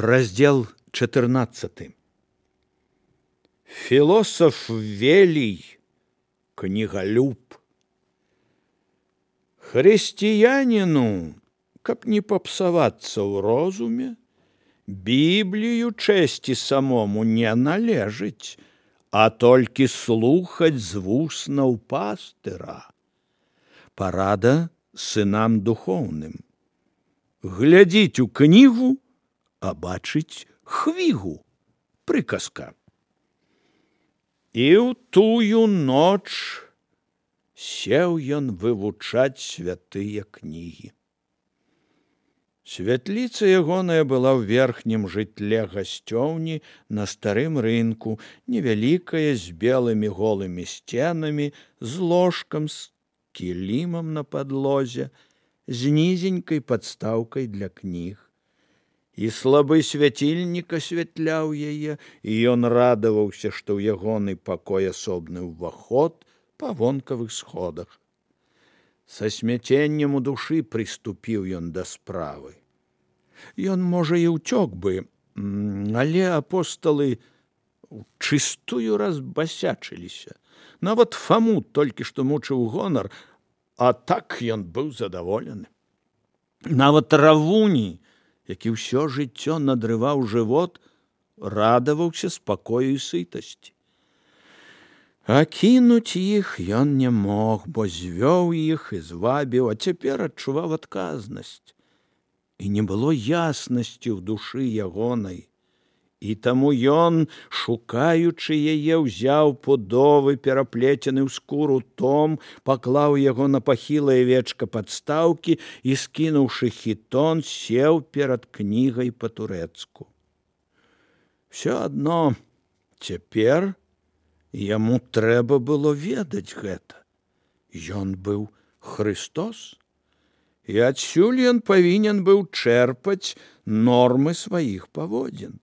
Раздел 14. Философ Велий, книголюб. Христианину, каб не попсавацца ў розуме, Біблію чэсці самому не належыць, а толькі слухаць з вуснаў пастыра. Парада сынам духоўным. Глядзіць у кнігу, а бачыць хвігу. Прыказка. І ў тую ноч сеў ён вывучаць святыя кнігі. Святліца ягоная была ў верхнім жытле гасцёўні на старым рынку, невялікая, з белымі голымі сценамі, з ложкам, з кілімам на падлозе, з нізенькай падстаўкай для кніг. І слабы свяцільнік асвятляў яе, і ён радаваўся, што ў ягоны пакой асобны ўваход па вонкавых сходах. Са смяценнем у душы прыступіў ён да справы. Ён, можа, і ўцёк бы, але апосталы чыстую разбасячыліся. Нават Фаму толькі што мучыў гонар, а так ён быў задаволены. Нават Равуні, які ўсё жыццё надрываў жывот, радаваўся спакою і сытасці. А кінуць іх ён не мог, бо звёў іх і звабіў, а цяпер адчуваў адказнасць. І не было яснасці ў душы ягонай. І таму ён, шукаючы яе, ўзяў пудовы, пераплецены ў скуру том, паклаў яго на пахілае вечка падстаўкі і, скінуўшы хітон, сеў перад кнігай па-турэцку. Всё адно цяпер яму трэба было ведаць гэта. Ён быў Христос, і адсюль ён павінен быў чэрпаць нормы сваіх паводзін.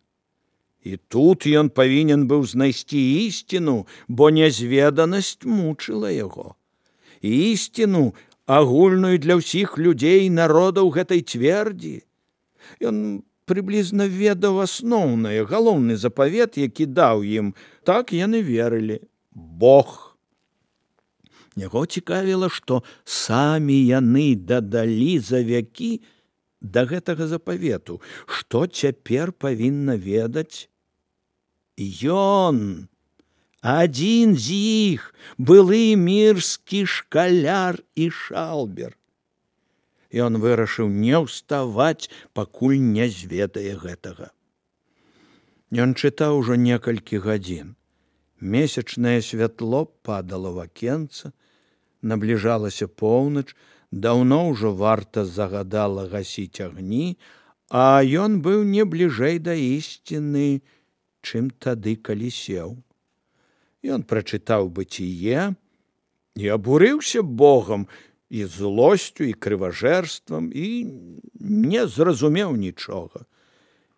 І тут ён павінен быў знайсці ісціну, бо нязведанасць мучыла яго. Ісціну, агульную для ўсіх людзей і народаў гэтай цвердзі. Ён прыблізна ведаў асноўнае, галоўны запавет, які даў ім. Так яны верылі. Бог. Яго цікавіла, што самі яны дадалі за вякі да гэтага запавету, што цяпер павінна ведаць ён, адзін з іх, былы мірскі шкаляр і шалбер. Ён вырашыў не ўставаць, пакуль не зведае гэтага. Ён чытаў ужо некалькі гадзін. Месячнае святло падала ў акенца, набліжалася поўнач, даўно ўжо варта загадала гасіць агні, а ён быў не бліжэй да ісціны, чым тады, калі сеў. Ён прачытаў быціе і абурыўся Богам і злосцю, і крыважэрствам, і не зразумеў нічога.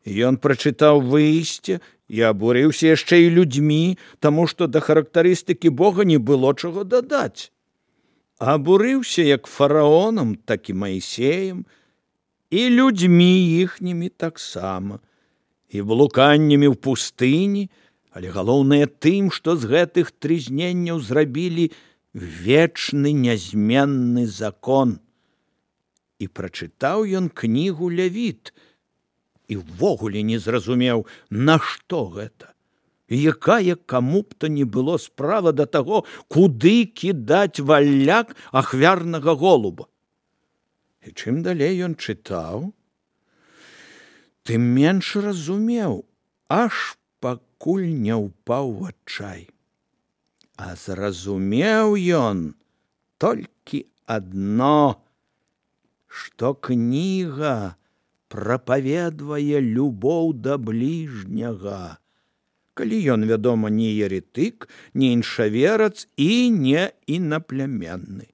Ён прачытаў выйсце і абурыўся яшчэ і людзьмі, таму што да характарыстыкі Бога не было чаго дадаць. Абурыўся як фараонам, так і Маісеем, і людзьмі іхнімі таксама, і блуканнямі ў пустыні, але галоўнае тым, што з гэтых трызненняў зрабілі вечны нязменны закон. І прачытаў ён кнігу Лявіт, і ўвогуле не зразумеў, нашто гэта. І якая каму б то не было справа да таго, куды кідаць валляк ахвярнага голуба. І чым далей ён чытаў, тым менш разумеў, аж пакуль не ўпаў у адчай. А зразумеў ён толькі адно, што кніга прапаведвае любоў да бліжняга, калі ён, вядома, не еретык, не іншаверац і не інаплямянны.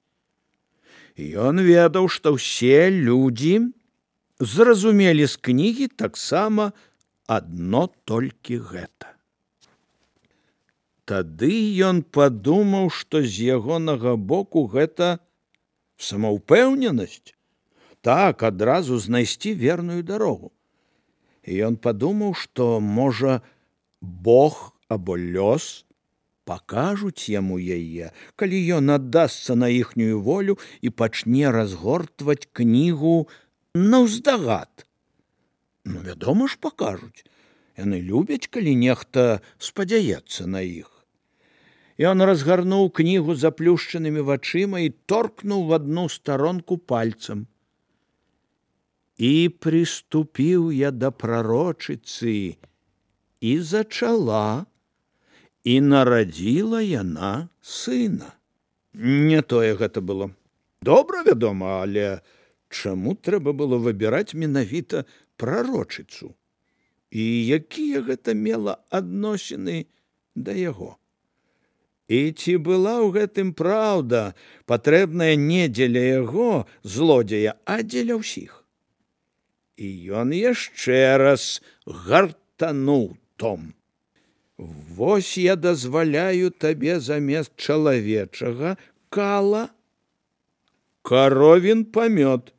Ён ведаў, што ўсе людзі зразумелі з кнігі таксама адно толькі гэта. Тады ён падумаў, што з ягонага боку гэта самаўпэўненасць, так адразу знайсці верную дарогу. І ён падумаў, што, можа, Бог або лёс пакажуць яму яе, калі ён аддасца на іхнюю волю і пачне разгортваць кнігу наўздагад. Ну, вядома ж, пакажуць. Яны любяць, калі нехта спадзяецца на іх. Ён разгарнуў кнігу заплюшчанымі вачыма і торкнуў в одну старонку пальцам. «І приступіў я да прарочыцы, і зачала, і нарадзіла яна сына». Не тое гэта было. Добра, вядома, але чаму трэба было выбіраць менавіта прарочыцу? І якія гэта мела адносіны да яго? І ці была ў гэтым праўда, патрэбная не дзеля яго, злодзея, а дзеля ўсіх? І ён яшчэ раз гартануў том. «Вось я дазваляю табе замест чалавечага кала каровін памёт,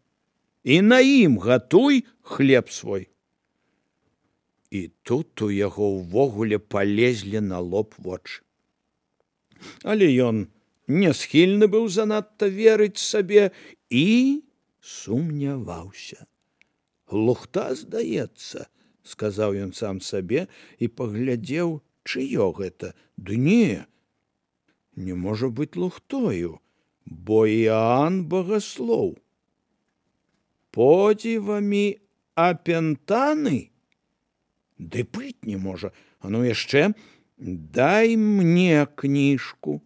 і на ім гатуй хлеб свой». І тут у яго ўвогуле палезлі на лоб вочы. Але ён не схільны быў занадта верыць сабе і сумняваўся. «Лухта, здаецца», — сказаў ён сам сабе і паглядзеў, чыё гэта. Ды не можа быць лухтою, бо Іоанн Багаслоў. «Подзівамі апентаны? Ды быць не можа. А ну яшчэ, дай мне кніжку».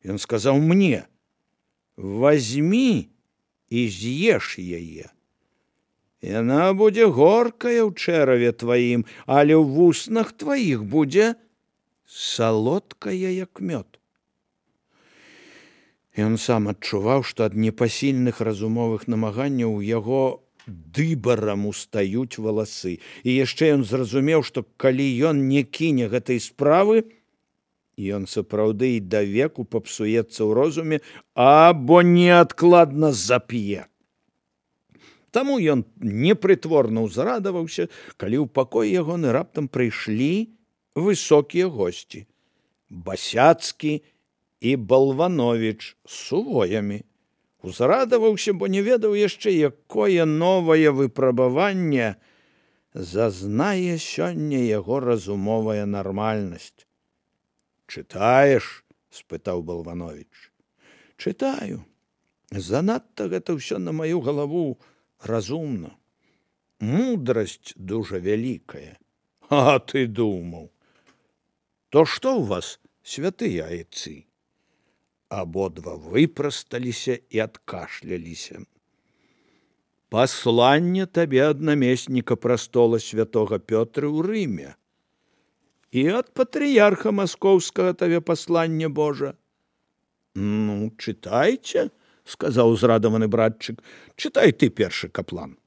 Ён сказаў мне: «Вазьмі і з'еш яе. Яна будзе горкая ў чэраве тваім, але ў вуснах тваіх будзе салодкая, як мёд». Ён сам адчуваў, што ад непасільных разумовых намаганняў у яго дыбарам устаюць валасы. І яшчэ ён зразумеў, што калі ён не кіне гэтай справы, ён сапраўды і давеку папсуецца ў розуме або неадкладна зап'е. Таму ён непрытворна ўзрадаваўся, калі ў пакой ягоны раптам прыйшлі высокія госці — Басяцкі і Балвановіч з сувоямі. Узрадаваўся, бо не ведаў яшчэ, якое новае выпрабаванне зазнае сёння яго разумовая нармальнасць. «Чытаеш?» — спытаў Балвановіч. «Чытаю. Занадта гэта ўсё на маю галаву разумна. Мудрасць дужа вялікая». «А ты думаў? То што ў вас, святыя айцы?» Абодва выпрасталіся і адкашляліся. «Пасланне табе ад намесніка прастола святога Пётры ў Рыме. І ад патрыярха маскоўскага табе пасланне Божа». «Ну, чытайце», — сказаў узрадаваны братчык. «Чытай ты першы, каплан».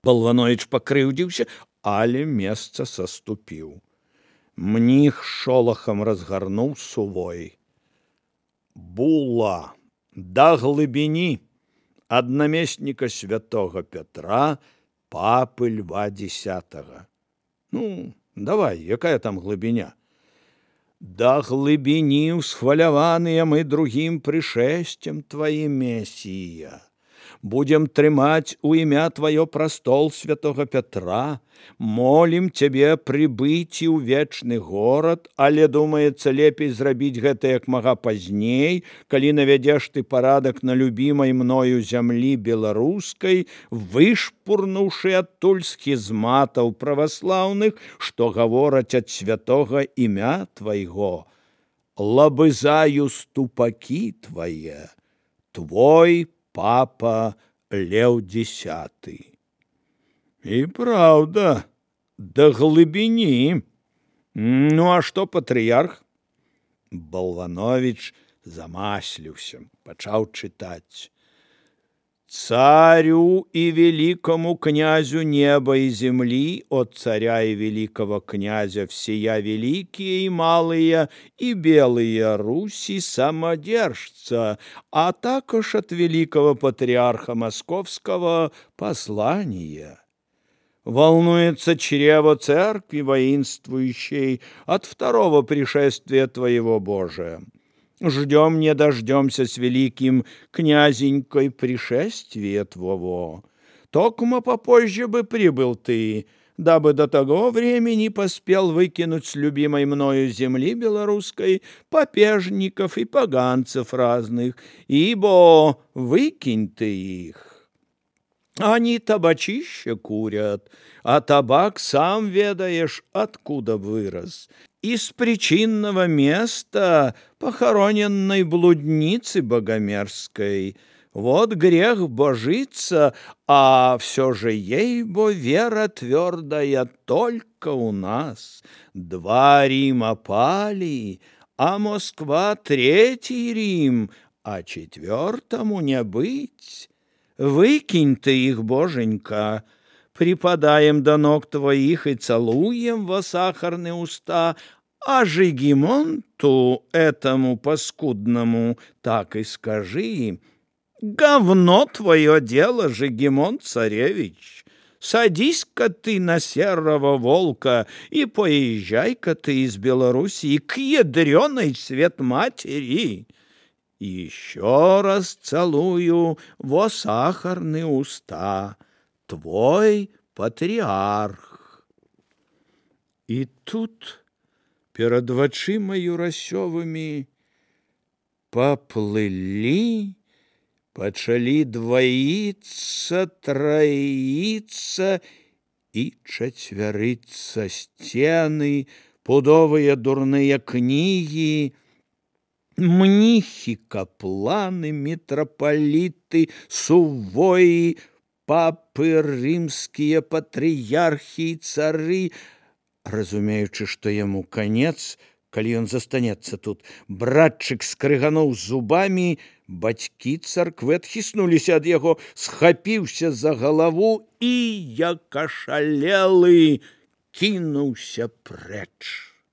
Балвановіч пакрыўдзіўся, але месца саступіў. Мніх шолахам разгарнуў сувой. «Була да глыбіні ад намесніка святога Петра, папы Льва X». «Ну, давай, якая там глыбіня?» «Да глыбіні ўсхваляваныя мы другім прышэсцем тваім, Месія. Будем трымаць у імя тваё прастол святога Петра, молім цябе прыбыць ў вечны горад, але, думаецца, лепей зрабіць гэта як мага пазней, калі навядзеш ты парадак на любімай мною зямлі беларускай, вышпурнуўшы адтуль схізматаў праваслаўных, што гавораць ад святога імя твайго. Лабызаю ступакі твае, твой папа Леў X». «І праўда, да глыбіні. Ну, а што патрыярх?» Балвановіч замасліўся, пачаў чытаць. «Царю и великому князю неба и земли, от царя и великого князя всея великие и малые и белые Руси самодержца, а також от великого патриарха Московского послание. Волнуется чрево церкви воинствующей от второго пришествия Твоего, Боже. Ждем не дождемся с великим князенькой пришествия Твоего. Токмо попозже бы прибыл Ты, дабы до того времени поспел выкинуть с любимой мною земли белорусской попежников и поганцев разных, ибо выкинь Ты их. Они табачище курят, а табак, сам ведаешь, откуда вырос. Из причинного места похороненной блудницы богомерзкой. Вот грех божиться, а все же ей-бо вера твердая только у нас. 2 Рима пали, а Москва 3 Рим, а 4 не быть. Выкинь Ты их, Боженька, припадаем до ног Твоих и целуем во сахарные уста, а Жигимонту этому паскудному так и скажи: говно твое дело, Жигимонт царевич, садись-ка ты на серого волка и поезжай-ка ты из Белоруссии к ядреной свет матери. Еще раз целую во сахарные уста, твой патриарх. И тут перед вачыма Юрасёвымі поплыли, пачалі двоиться, троиться и четвериться сцены, пудовые дурные книги, мнихи, капланы, митрополиты, сувои, папы, римские патрыярхи и цары. Разумеючы, што яму канец, калі ён застанецца тут, братчык скрыгануў зубамі, бацькі царквы адхіснуліся ад яго, схапіўся за галаву і, як ашалелы, кінуўся прэч.